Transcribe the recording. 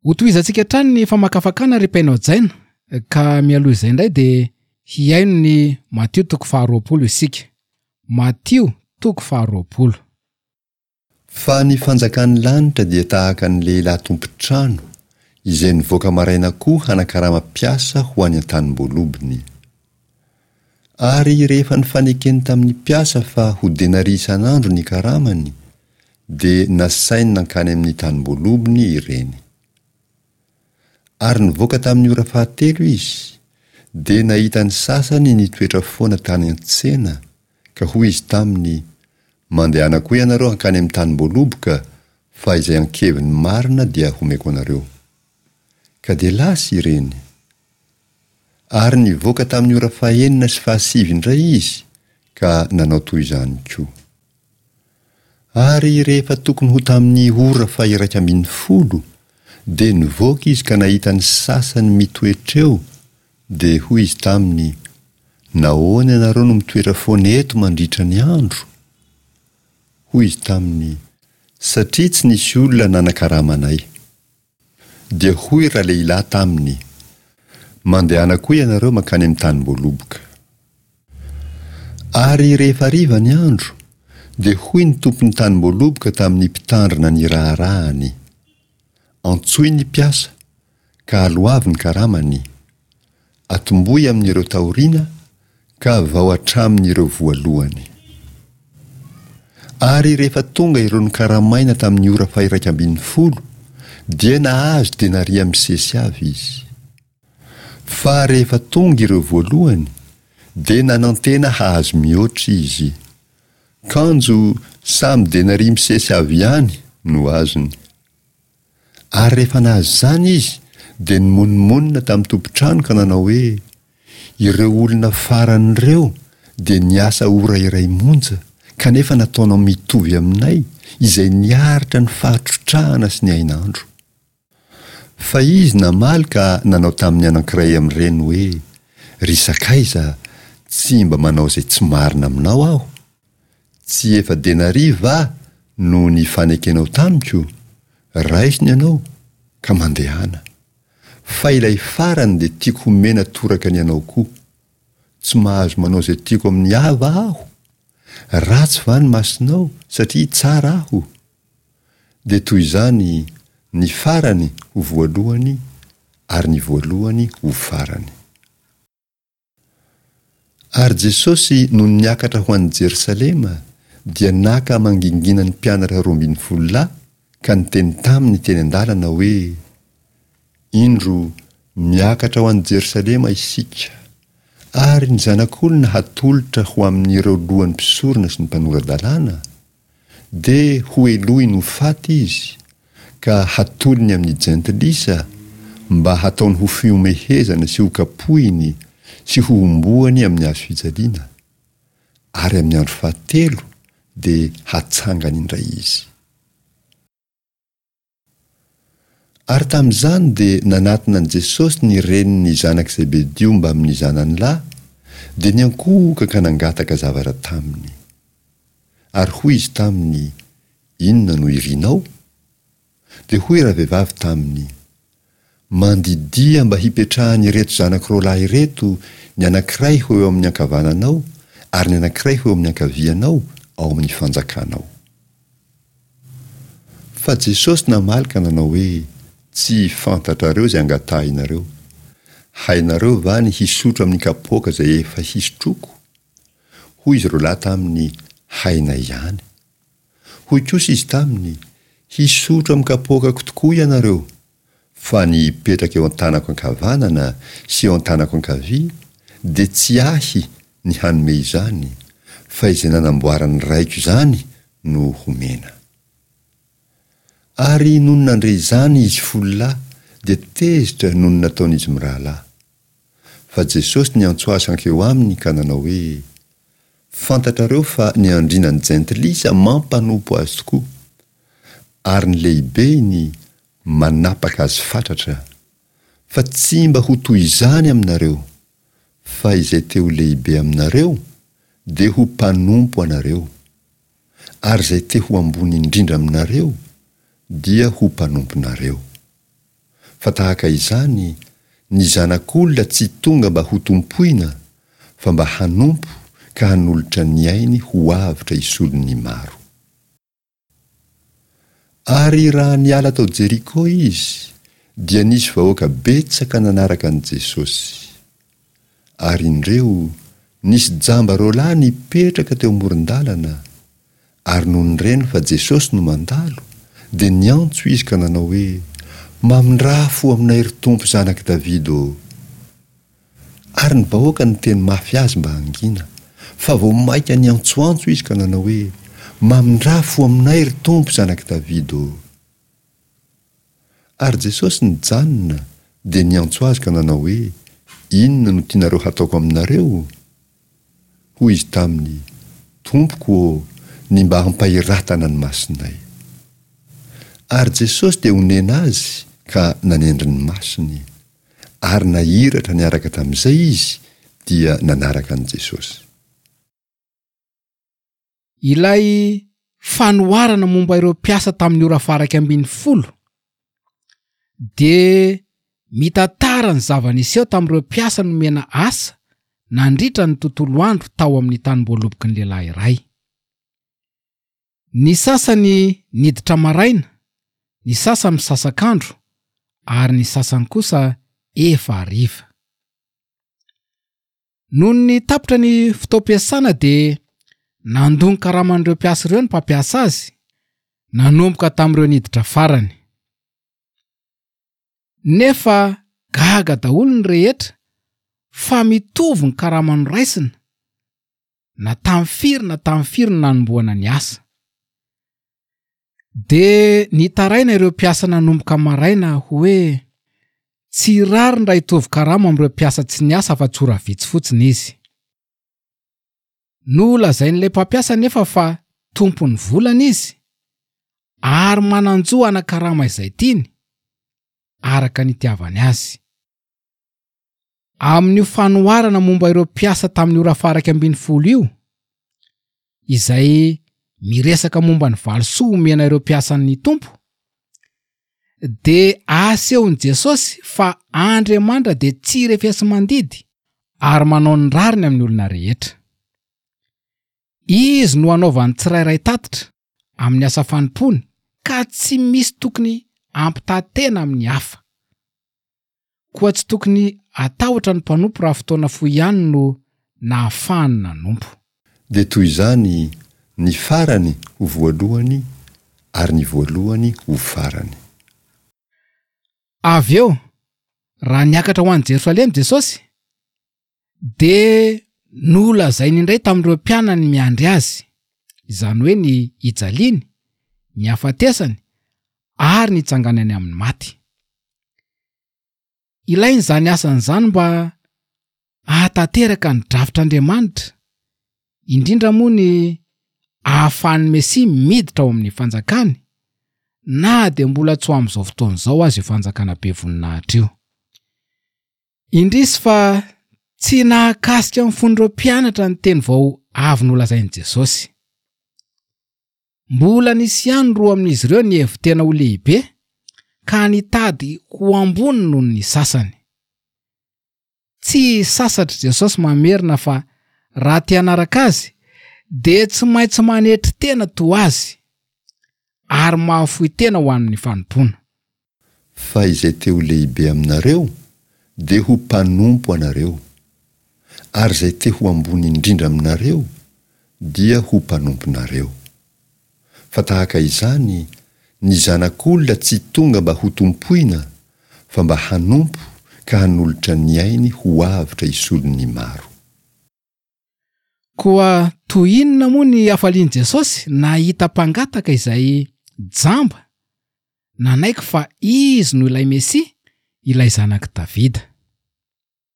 Hotohizantsika hatrany ny famakafakana ry mpihaino hajaina, ka mialoha izay indray dia hihaino ny Matio toko faharoapolo isika. Matio toko faharoapolo. Fa ny fanjakan'ny lanitra dia tahaka ny lehilahy tompon-trano izay nivoaka maraina koa hanakarama mpiasa ho any an-tanim-boalobony. Ary rehefa nifanekeny tamin'ny mpiasa fa ho denaria isan'andro ny karamany, dia nasainy nankany amin'ny tanim-boalobony ireny. Ary nivoaka tamin'ny ora fahatelo izy, dia nahita ny sasany nitoetra foana tany an-tsena, ka hoy izy taminy, Mandehana koa ianareo hankany amin'ny tanim-boaloboka, fa izay ankeviny marina dia homeko anareo. Ka dia lasa ireny. Ary nivoaka tamin'ny ora fahenina sy fahasivy indray izy, ka nanao toy izany koa. Ary rehefa tokony ho tamin'ny ora faha-11, dia nivoaka izy ka nahita ny sasany mitoetra eo, dia hoy izy taminy, Nahoana ianareo no mitoetra foana eto mandritra ny andro? Hoy izy taminy, Satria tsy nisy olona nanakarama anay. Dia hoy ralehilahy taminy, Mandehana koa ianareo mankany amin'ny tanim-boaloboka. Ary rehefa hariva ny andro, dia hoy ny tompon'ny tanim-boaloboka tamin'ny mpitandrina ny raharahany, Antsoy ny mpiasa, ka aloavy ny karamany. Atombohy amin'ireo taoriana ka vao hatramin'ireo voalohany. Ary rehefa tonga ireo nokaramaina tamin'ny ora faha-11, dia nahazo denaria misesy avy izy. Fa rehefa tonga ireo voalohany, dia nanantena hahazo mihoatra izy. Kanjo samy denaria misesy avy ihany no azony. Ary rehefa nahazo izany izy, dia nimonomonona tamin'ny tompon-trano ka nanao hoe, Ireo olona farany ireo dia niasa ora iray monja, kanefa nataonao mitovy aminay, izay niaritra ny fahatrotrahana sy ny hainandro. Fa izy namaly ka nanao tamin'ny anankiray amin'ireny hoe, Ry sakaiza, tsy mba manao izay tsy marina aminao aho. Tsy efa denaria va no nifanekenao tamiko? Raiso ny anao, ka mandehana. Fa ilay farany dia tiako homena toraka ny anao koa. Tsy mahazo manao izay tiako amin'ny ahy va aho? Ratsy va ny masonao satria tsara aho? Dia toy izany ny farany ho voalohany ary ny voalohany ho farany. Ary Jesosy nony niakatra ho any Jerosalema, dia naka mangingina ny mpianatra 12 lahy ka niteny taminy teny an-dalana hoe, Indro, miakatra ho any Jerosalema isika, ary ny Zanak'olona hatolotra ho amin'ireo lohan'ny mpisorona sy ny mpanora-dalàna, Dia hohelohiny ho faty izy, ka hatolony amin'ny jentilisa, mba hataony ho fihomehezana sy hokapohiny sy hohomboany amin'ny hazo fijaliana, ary amin'ny andro fahatelo dia hatsangany indray izy. Ary tamin'izany dia nanatona an'i Jesosy ny renin'ny zanak'i Zebedio mbamin'ny zanany lahy, dia niankohoka ka nangataka zavatra taminy. Ary hoy izy taminy, Inona no irinao? Dia hoy ravehivavy taminy, Mandidia mba hipetrahan'ireto zanako roalahy ireto, ny anankiray ho eo amin'ny ankavananao, ary ny anankiray ho eo amin'ny ankavianao, ao amin'ny fanjakanao. Fa Jesosy namaly ka nanao hoe, Tsy fantatrareo izay angatahinareo. Hainareo va ny hisotro amin'ny kapoaka izay efa hisotroako? Hoy izy roalahy taminy, Hainay ihany. Hoy kosa izy taminy, Hisotro amin'ny kapoakako tokoa ianareo, fa ny hipetraka eo an-tanako ankavanana sy eo an-tanako ankavia dia tsy ahy ny hanome izany, fa izay nanamboaran'ny Raiko izany no homena. Ary nony nandre izany izy folo lahy dia tezitra noho ny nataon'izy mirahalahy. Fa Jesosy niantso azy hankeo aminy ka nanao hoe, Fantatrareo fa ny andriana ny jentilisa mampanompo azy tokoa, ary ny lehibeny manapaka azy fatratra. Fa tsy mba ho toy izany aminareo, fa izay te ho lehibe aminareo dia ho mpanompo anareo. Ary izay te ho ambony indrindra aminareo dia ho mpanomponareo. Fa tahaka izany, ny Zanak'olona tsy tonga mba hotompoina, fa mba hanompo ka hanolotra ny ainy ho avotra hisolo ny maro. Ary raha niala tao Jeriko izy, dia nisy vahoaka betsaka nanaraka an'i Jesosy. Ary indreo, nisy jamba roalahy nipetraka teo amoron-dalana, ary nony reny fa Jesosy no mandalo, dia niantso izy ka nanao hoe, Mamindrà fo aminay, ry Tompo Zanak'i Davida ô! Ary ny vahoaka niteny mafy azy mba hangina, fa vao mainka niantsoantso izy ka nanao hoe, Mamindrà fo aminay, ry Tompo, Zanak'i Davida ô! Ary Jesosy nijanona, dia niantso azy ka nanao hoe, Inona no tianareo hataoko aminareo? Hoy izy taminy, Tompoko ô, ny mba hampahiratana ny masonay. Ary Jesosy dia onena azy ka nanendry ny masony. Ary nahiratra niaraka tamin'izay izy dia nanaraka an'i Jesosy. Ilay fanoharana momba ireo mpiasa tamin'ny ora faha-iraika ambinifolo dia mitantara ny zava-niseho tamin'ireo mpiasa nomena asa nandritra ny tontolo andro tao amin'ny tanimboaloboky ny lehilahy iray. Ny sasany niditra maraina, ny sasany misasak'andro ary ny sasany kosa efa hariva. Nony tapitra ny fotoam-piasana dia nandoa ny karaman'ireo mpiasa ireo ny mpampiasa azy, nanomboka tamin'ireo niditra farany. Nefa gaga daholo ny rehetra fa mitovy ny karama noraisina na tamin'ny firy na tamin'ny firy no nanombohana ny asa. Dia nitaraina ireo mpiasa nanomboka maraina hoe tsy rariny raha hitovy karama amin'ireo mpiasa tsy niasa afa-tsy ora vitsy fotsiny izy. Nolazain'ilay mpampiasa anefa fa tompon'ny volany izy ary manan-jo hanakarama izay tiany araka ny itiavany azy. Amin'io fanoharana momba ireo mpiasa tamin'ny ora faha-iraika ambinifolo io, izay miresaka momba ny valisoa omena ireo mpiasan'ny Tompo, dia asehon'i Jesosy fa Andriamanitra dia tsy refesi-mandidy ary manao ny rariny amin'ny olona rehetra. Izy no anaovan'ny tsirairay tatitra amin'ny asa fanompoany ka tsy misy tokony hampitaha tena amin'ny hafa. Koa tsy tokony hatahotra ny mpanompo raha fotoana fohy ihany no nahafahany nanompo. Dia toy izany ny farany ho voalohany ary ny voalohany ho farany. Avy eo, raha niakatra ho any Jerosalema Jesosy, dia nolazainy indray tamin'ireo mpianany miandry azy, izany hoe ny hijaliany, ny hafatesany ary ny hitsanganany amin'ny maty. Ilaina izany asany izany mba hahatanteraka ny drafitr'Andriamanitra, indrindra moa ny ahafahan'ny Mesia miditra ao amin'ny fanjakany, na dia mbola tsy ho amin'izao fotoana izao aza io fanjakana be voninahitra io. Indrisy fa tsy nahakasika ny fon'ireo mpianatra ny teny vao avy nolazain'i Jesosy. Mbola nisy ihany roa amin'izy ireo nihevi-tena ho lehibe ka nitady ho ambony noho ny sasany. Tsy sasatr'i Jesosy mamerina fa raha te hanaraka azy dia tsy maintsy manetry tena toa azy ary mahafoy tena ho an'ny fanompoana. Fa izay te ho lehibe aminareo dia ho mpanompo anareo, ary izay te ho ambony indrindra aminareo dia ho mpanomponareo. Fa tahaka izany, ny Zanak'olona tsy tonga mba hotompoina, fa mba hanompo ka hanolotra ny ainy ho avotra hisolo ny maro. Koa toy inona moa ny hafalian'i Jesosy nahita mpangataka izay jamba nanaiky fa Izy no ilay Mesia, ilay Zanak'i Davida.